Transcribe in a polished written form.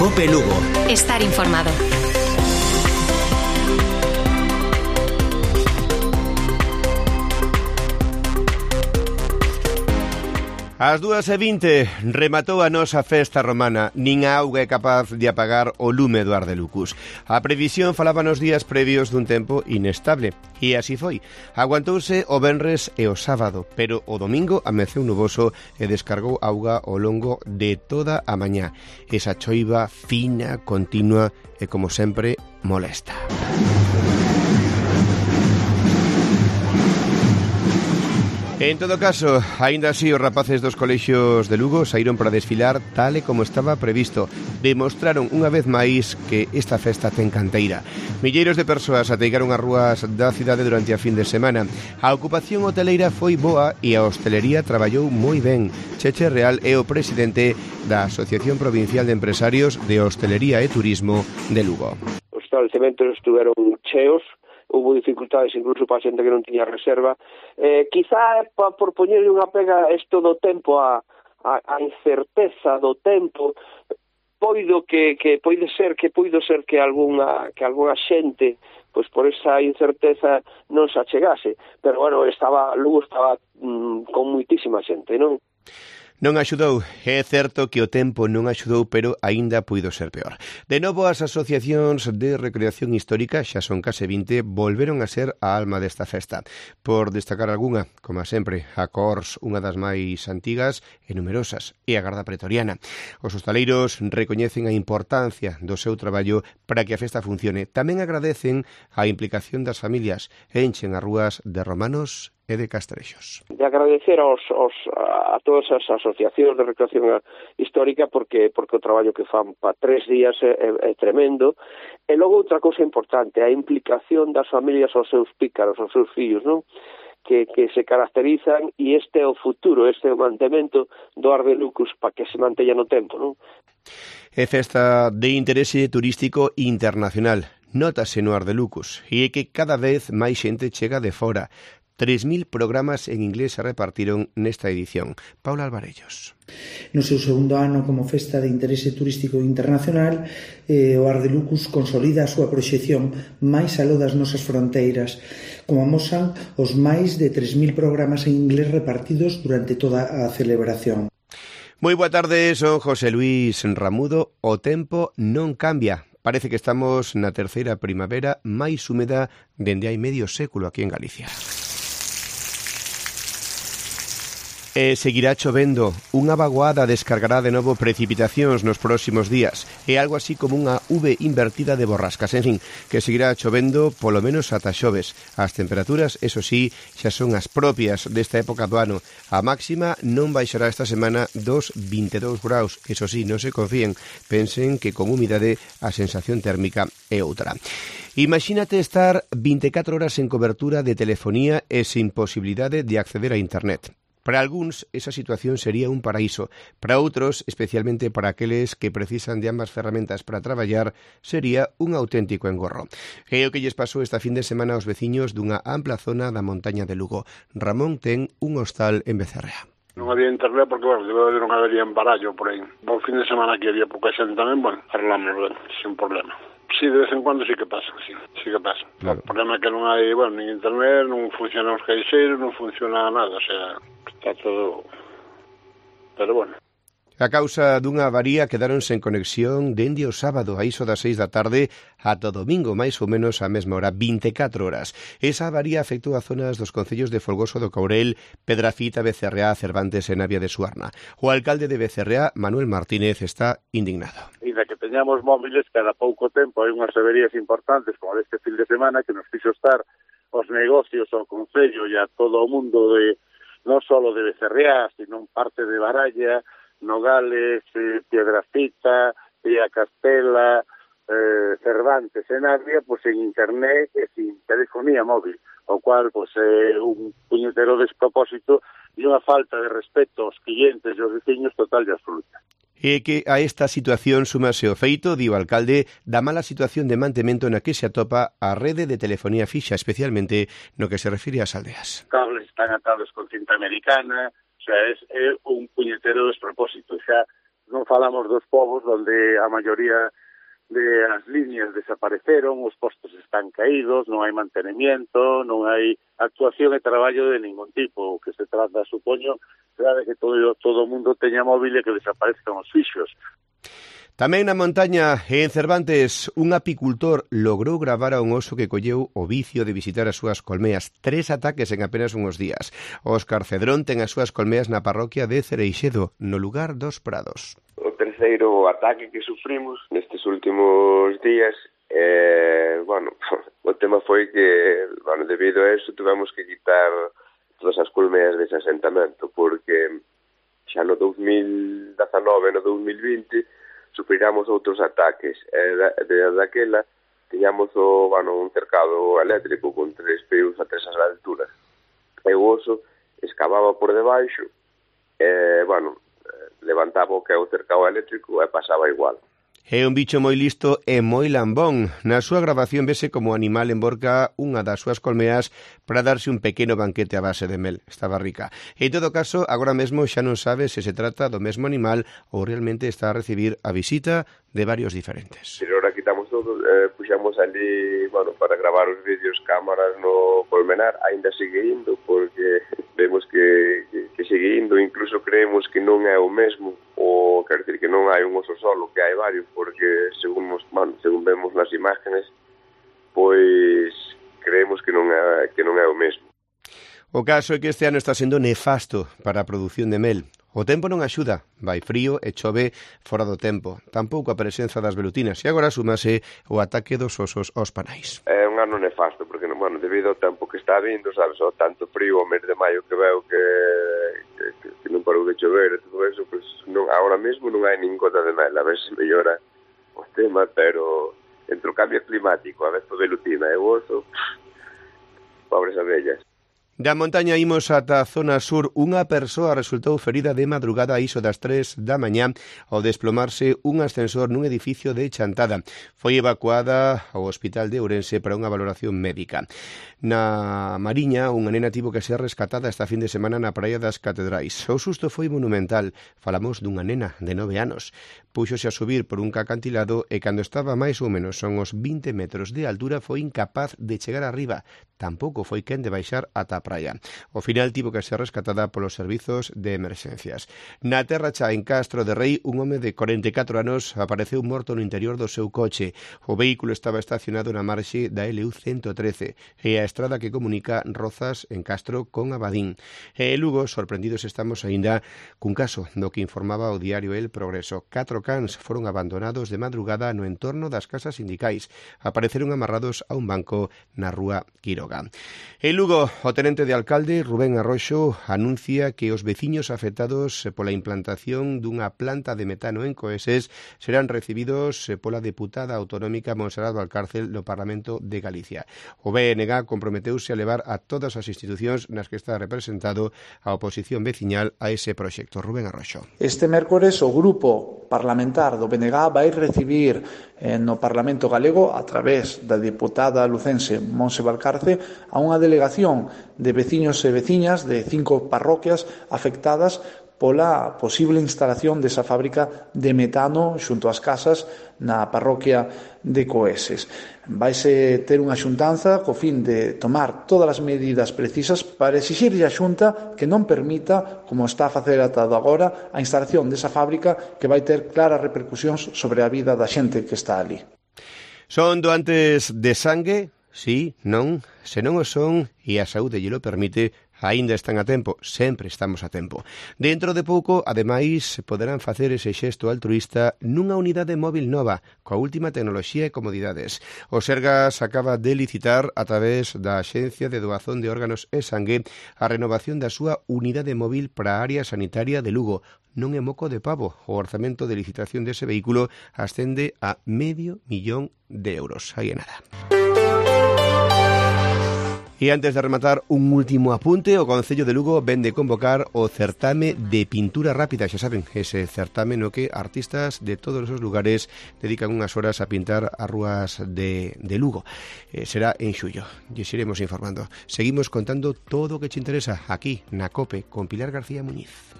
COPE Lugo. Estar informado. Ás 2:20 rematou a nosa festa romana. Nin a auga é capaz de apagar o lume do Ardelucus. A previsión falaba nos días previos dun tempo inestable. E así foi. Aguantouse o venres e o sábado, pero o domingo ameceu nuboso e descargou auga ao longo de toda a mañá. Esa choiva fina, continua e, como sempre, molesta. En todo caso, aínda así, os rapaces dos colexios de Lugo saíron para desfilar tal e como estaba previsto. Demostraron unha vez máis que esta festa ten canteira. Milleiros de persoas ateigaron as rúas da cidade durante a fin de semana. A ocupación hoteleira foi boa e a hostelería traballou moi ben. Cheche Real é o presidente da Asociación Provincial de Empresarios de Hostelería e Turismo de Lugo. Os establecementos estuveron cheos. Houve dificultades incluso para a xente que non tiña reserva. Quizá por poñerle unha pega isto do tempo, a incerteza do tempo, pode ser que algunha xente, pois por esa incerteza non se achegase, pero bueno, Lugo estaba con moitísima xente, non? Non axudou, é certo que o tempo non axudou, pero aínda puido ser peor. De novo, as asociacións de recreación histórica, xa son case 20, volveron a ser a alma desta festa. Por destacar algunha, como sempre, a Cors, unha das máis antigas e numerosas, e a Garda Pretoriana. Os hostaleiros recoñecen a importancia do seu traballo para que a festa funcione. Tamén agradecen a implicación das familias e enchen as rúas de romanos e de castrexos. De agradecer a todas as asociacións de recreación histórica porque o traballo que fan para 3 días é tremendo. E logo outra cousa importante, a implicación das familias aos seus pícaros, aos seus fillos, non? Que se caracterizan, e este é o futuro, este é o mantemento do Ardelucus para que se manteña no tempo, non? É festa de interese turístico internacional. Nótase no Ardelucus, e é que cada vez máis xente chega de fora. 3.000 programas en inglés se repartiron nesta edición. Paula Alvarellos. No seu segundo ano como festa de interese turístico internacional, o Ardelucus consolida a súa proxección máis aló das nosas fronteiras, como amosan os máis de 3.000 programas en inglés repartidos durante toda a celebración. Moi boa tarde, son José Luis Ramudo. O tempo non cambia. Parece que estamos na terceira primavera máis húmeda dende hai medio século aquí en Galicia. E seguirá chovendo. Unha vaguada descargará de novo precipitacións nos próximos días. É algo así como unha V invertida de borrascas. En fin, que seguirá chovendo polo menos ata xoves. As temperaturas, eso sí, xa son as propias desta época do ano. A máxima non baixará esta semana dos 22 graus. Eso sí, non se confíen. Pensen que con humidade a sensación térmica é outra. Imagínate estar 24 horas en cobertura de telefonía e sin posibilidade de acceder a internet. Para algúns, esa situación sería un paraíso. Para outros, especialmente para aqueles que precisan de ambas ferramentas para traballar, sería un auténtico engorro. É o que lles pasou esta fin de semana aos veciños dunha ampla zona da montaña de Lugo. Ramón ten un hostal en Becerrea. Non había internet porque, non había embarallo por aí. O fin de semana que había pouca xente tamén, arreglamos ben, sin problema. Sí, de vez en cuando sí que pasa, sí que pasa. Claro. O problema é que non hai, nin internet, non funcionan os caixeiros, non funciona nada, o sea, está todo... Pero bueno. A causa dunha avaría quedaron sen conexión dende o sábado a iso das 6 da tarde ata o domingo, máis ou menos a mesma hora, 24 horas. Esa avaría afectou a zonas dos concellos de Folgoso do Courel, Pedrafita, Becerreá, Cervantes e Navia de Suarna. O alcalde de Becerreá, Manuel Martínez, está indignado. E da que teñamos móviles, cada pouco tempo hai unhas averías importantes, como deste fin de semana, que nos fixo estar os negocios ao concello e a todo o mundo de non só de Becerreá, sino parte de Baralla, Nogales, Piedrafita, Vía Castela, Cervantes e Navia, pois en internet e sin telefonía móvil, o cual pois é un puñetero despropósito e unha falta de respeto aos clientes e aos veciños total e absoluta. E que a esta situación súmase o feito, di o alcalde, da mala situación de mantemento na que se atopa a rede de telefonía fixa, especialmente no que se refire ás aldeas. Os cables están atados con cinta americana, o sea, é un puñetero despropósito. Xa non falamos dos povos onde a maioría de as líneas desapareceron, os postos están caídos, non hai mantenimiento, non hai actuación e traballo de ningún tipo. O que se trata, supoño, será de que todo o mundo teña móvil e que desaparezcan os fixos. Tamén na montaña, en Cervantes, un apicultor logrou gravar a un oso que colleu o vicio de visitar as súas colmeas. 3 ataques en apenas uns días. Óscar Cedrón ten as súas colmeas na parroquia de Cereixedo, no lugar dos Prados. O terceiro ataque que sufrimos nestes últimos días, o tema foi que, debido a eso, tuvemos que quitar todas as colmeas dese asentamento, porque xa no 2019 e no 2020 sufriramos outros ataques. Desde aquela tiñamos un cercado eléctrico con 3 pios a 3 alturas. E o oso excavaba por debaixo, levantaba o que é o cercado eléctrico e pasaba igual. É un bicho moi listo e moi lambón. Na súa grabación vese como o animal emborca unha das súas colmeas para darse un pequeno banquete a base de mel. Estaba rica. En todo caso, agora mesmo xa non sabe se se trata do mesmo animal ou realmente está a recibir a visita de varios diferentes. Pero ahora quitamos todo, puxamos ali, para gravar os vídeos, cámaras no colmenar, ainda sigue indo, porque vemos que sigue indo, incluso creemos que non é o mesmo, ou quer dizer que non hai un oso solo, que hai varios, porque según vemos nas imágenes, pois creemos que non é o mesmo. O caso é que este ano está sendo nefasto para a produción de mel. O tempo non axuda, vai frío e chove fora do tempo, tampouco a presenza das velutinas, e agora súmase o ataque dos osos aos panais. É un ano nefasto, porque debido ao tempo que está vindo, sabes, o tanto frío o mes de maio que veo que non parou de chover e todo eso, pues, agora mesmo non hai nin gota de mel, a ver se mellora o tema, pero entre o cambio climático, a ver, velutina e o oso, pobres abellas. Da montaña imos ata a zona sur. Unha persoa resultou ferida de madrugada a iso das 3 da mañá ao desplomarse un ascensor nun edificio de Chantada. Foi evacuada ao hospital de Ourense para unha valoración médica. Na Mariña, unha nena tivo que ser rescatada esta fin de semana na Praia das Catedrais. O susto foi monumental. Falamos dunha nena de 9 anos. Púxose a subir por un acantilado e cando estaba máis ou menos son os 20 metros de altura foi incapaz de chegar arriba. Tampouco foi quen de baixar ata a praia. Ao final tivo que ser rescatada polos servizos de emerxencias. Na Terra Cha, en Castro de Rei, un home de 44 anos apareceu morto no interior do seu coche. O vehículo estaba estacionado na marxe da LU 113 e a estrada que comunica Rozas en Castro con Abadín. E Lugo, sorprendidos estamos aínda cun caso do que informaba o diario El Progreso. 4 cans foron abandonados de madrugada no entorno das casas sindicais. Apareceron amarrados a un banco na rúa Quiroga. En Lugo, o tenente de alcalde, Rubén Arroxo, anuncia que os veciños afectados pola implantación dunha planta de metano en Coeses serán recibidos pola deputada autonómica Monserrat Valcárcel no Parlamento de Galicia. O BNG comprometeuse a levar a todas as institucións nas que está representado a oposición veciñal a ese proxecto. Rubén Arroxo. Este mércores o grupo parlamentar do BNG vai recibir no Parlamento Galego, a través da deputada lucense Monse Valcarce, a unha delegación de veciños e veciñas de 5 parroquias afectadas pola posible instalación desa fábrica de metano xunto ás casas na parroquia de Coeses. Vaise ter unha xuntanza co fin de tomar todas as medidas precisas para exixirlle á Xunta que non permita, como está a facer ata agora, a instalación desa fábrica que vai ter claras repercusións sobre a vida da xente que está ali. Son doantes de sangue? Sí, non? Se non o son e a saúde lle lo permite, aínda están a tempo, sempre estamos a tempo. Dentro de pouco, ademais, poderán facer ese xesto altruísta nunha unidade móvil nova, coa última tecnoloxía e comodidades. O Sergas acaba de licitar, a través da Axencia de Doazón de Órganos e Sangue, a renovación da súa unidade móvil para a área sanitaria de Lugo. Non é moco de pavo. O orzamento de licitación dese vehículo ascende a €500.000. Aí é nada. E antes de rematar, un último apunte, o Concello de Lugo ven de convocar o certame de pintura rápida, xa saben, ese certame no que artistas de todos os lugares dedican unhas horas a pintar as rúas de Lugo. Será en xullo, e iremos informando. Seguimos contando todo o que te interesa aquí na COPE con Pilar García Muñiz.